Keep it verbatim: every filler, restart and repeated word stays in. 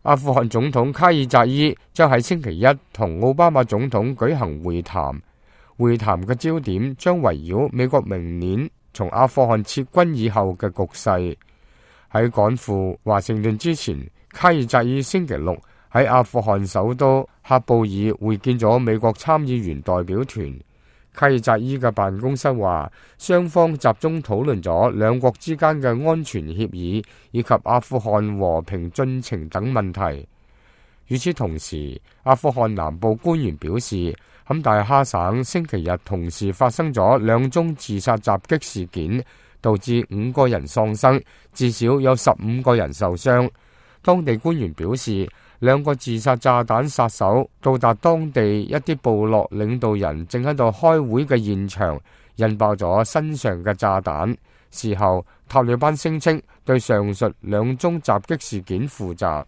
阿富汗總統卡爾扎伊將喺星期一同奧巴馬總統舉行會談，會談嘅焦點將圍繞美國明年從阿富汗撤軍以後嘅局勢。喺趕赴華盛頓之前，卡爾扎伊星期六喺阿富汗首都喀布爾會見咗美國參議員代表團。卡爾扎伊嘅辦公室話，雙方集中討論咗兩國之間嘅安全協議以及阿富汗和平進程等問題。與此同時，阿富汗南部官員表示，坎大哈省星期日同時發生咗兩宗自殺襲擊事件，導致五個人喪生，至少有十五個人受傷。當地官員表示，兩個自殺炸彈殺手到達當地一啲部落領導人正喺度開會嘅現場，引爆咗身上嘅炸彈。事後，塔利班聲稱對上述兩宗襲擊事件負責。